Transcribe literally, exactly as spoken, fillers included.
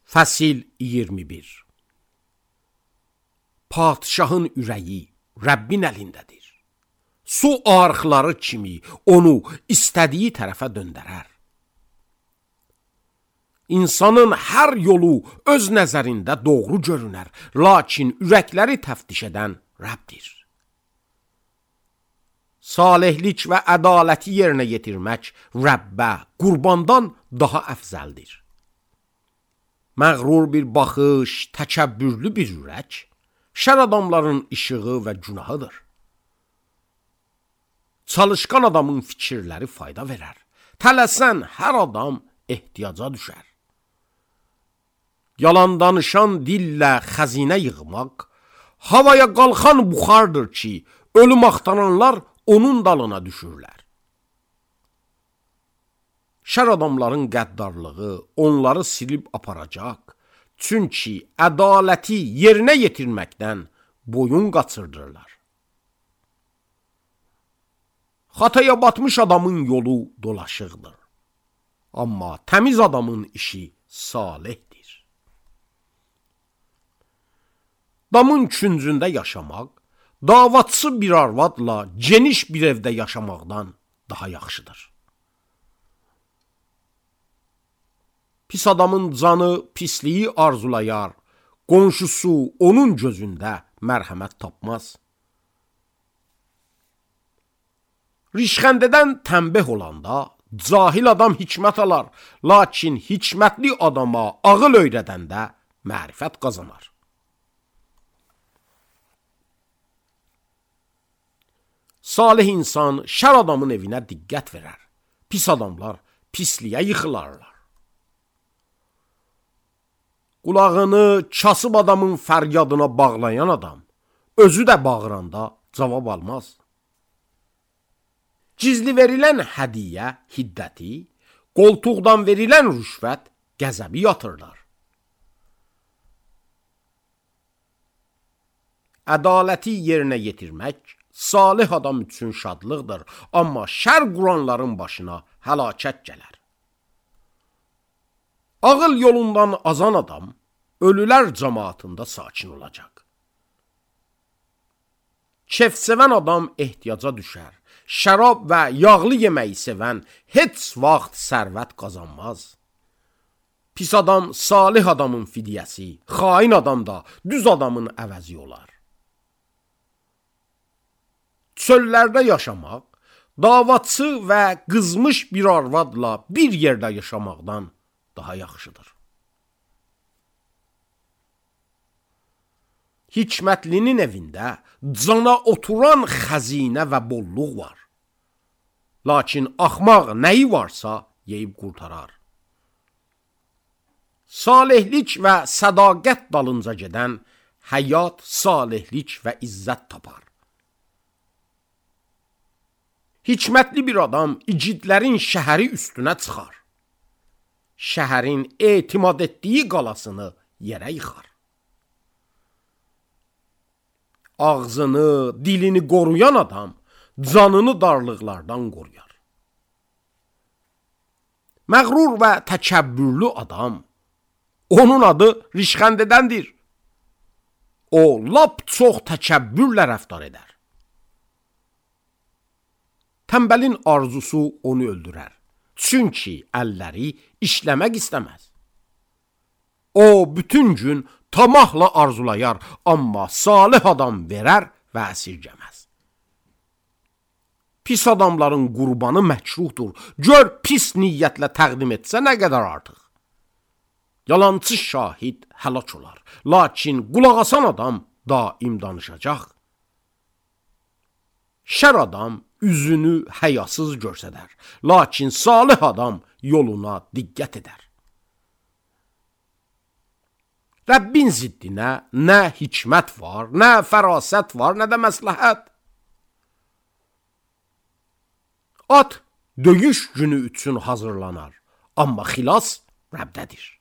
Fəsil iyirmi bir. Padşahın ürəyi Rəbbin əlindədir. Su arxları kimi onu istədiyi tərəfə döndərər. İnsanın hər yolu öz nəzərində doğru görünər, lakin ürəkləri təftiş edən Rəbdir. Salihlik və ədaləti yerinə yetirmək Rəbbə qurbandan daha əfzəldir. Məğrur bir baxış, təkəbbürlü bir ürək, şər adamların işığı və günahıdır. Çalışqan adamın fikirləri fayda verər. Tələsən hər adam ehtiyaca düşər. Yalan danışan dillə xəzinə yığmaq, havaya qalxan buxardır ki, ölüm axtaranlar onun dalına düşürlər. Şər adamların qəddarlığı onları silib aparacaq, çünki ədaləti yerinə yetirməkdən boyun qaçırdırlar. Xataya batmış adamın yolu dolaşıqdır, amma təmiz adamın işi salihdir. Damın küncündə yaşamaq, davatsız bir arvadla geniş bir evdə yaşamaqdan daha yaxşıdır. Pis adamın canı pisliyi arzulayar, qonşusu onun gözündə mərhəmət tapmaz. Rişxəndədən tənbeh olanda cahil adam hikmət alar, lakin hikmətli adama ağıl öyrədəndə mərifət qazanar. Salih insan şər adamın evinə diqqət verər, pis adamlar pisliyə yıxılarlar. Qulağını kasıb adamın fəryadına bağlayan adam, özü də bağıranda cavab almaz. Gizli verilən hədiyyə hiddəti, qoltuqdan verilən rüşvət qəzəbi yatırlar. Ədaləti yerinə yetirmək salih adam üçün şadlıqdır, amma şər quranların başına həlakət gələr. Ağıl yolundan azan adam, ölülər cəmaatında sakin olacaq. Kef sevən adam ehtiyaca düşər, şərab və yağlı yeməyi sevən heç vaxt sərvət qazanmaz. Pis adam salih adamın fidyəsi, xain adam da düz adamın əvəzi olar. Çöllərdə yaşamaq, davatçı və qızmış bir arvadla bir yerdə yaşamaqdan daha yaxşıdır. Hikmətlinin evində cana oturan xəzinə və bolluq var. Lakin axmaq nəyi varsa yeyib qurtarar. Salihlik və sədaqət dalınca gedən həyat, salihlik və izzət tapar. Hikmətli bir adam igidlərin şəhəri üstünə çıxar. Şəhərin etimad etdiyi qalasını yerə yıxar. Ağzını, dilini qoruyan adam canını darlıqlardan qoruyar. Məğrur və təkəbbürlü adam, onun adı rişxəndədəndir. O, lap çox təkəbbürlə rəftar edər. Tənbəlin arzusu onu öldürər, çünki əlləri işləmək istəməz. O, bütün gün tamahla arzulayar, amma salih adam verər və əsirgəməz. Pis adamların qurbanı məkruhdur. Gör pis niyyətlə təqdim etsə nə qədər artıq. Yalancı şahid həlak olar, lakin qulaq asan adam daim danışacaq. Şər adam üzünü həyasız görsədər, lakin salih adam yoluna diqqət edər. Rəbbin ziddinə nə hikmət var, nə fərasət var, nə də məsləhət. At döyüş günü üçün hazırlanar, amma xilas Rəbdədir.